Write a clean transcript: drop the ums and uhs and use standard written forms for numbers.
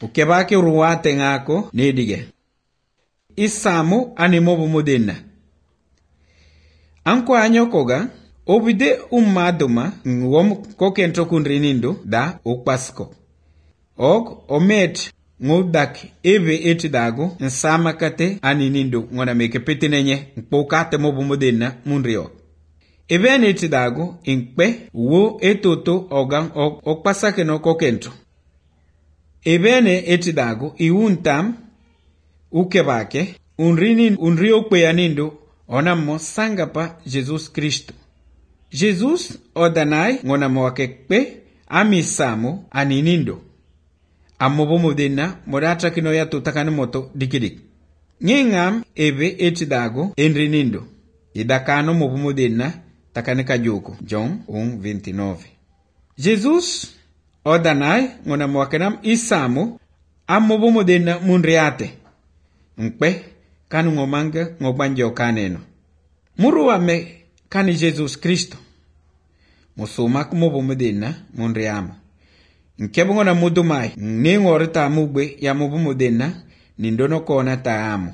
Ukebake ruwate ngako nedige. Isamu animobu modena. Anko anyokoga obide maduma ngwom kokento kunrinindu da ukpasko. Omet ngudak eve etidago nsama kate aninindu ngona meke petinenye nkpokate mobu modena munrio. Eve etidago inkpe wo etoto ogang okpasake no kokento. Eve etidago iuntam ukebake unrio kweyanindu onamo sangapa Jesus Kristo. Jesus odanai ngonamo wakekpe amisamo aninindo. Amobo modena modatra kino ya tutakane moto dikidik. Ngingam eve etidago enrinindo. Idakano mobo modena takane kajoko. John 1:29. Jesus odanai ngonamo wakenam isamo amobo modena munriate. Nkpe kanu ngomanga ngobanjo kaneno. Muruame kani Jesus Kristo. Musumak mobo modena munriama. Nkebongo na mudumai ngorita mugbe ya mobo modena nindono kona taamu.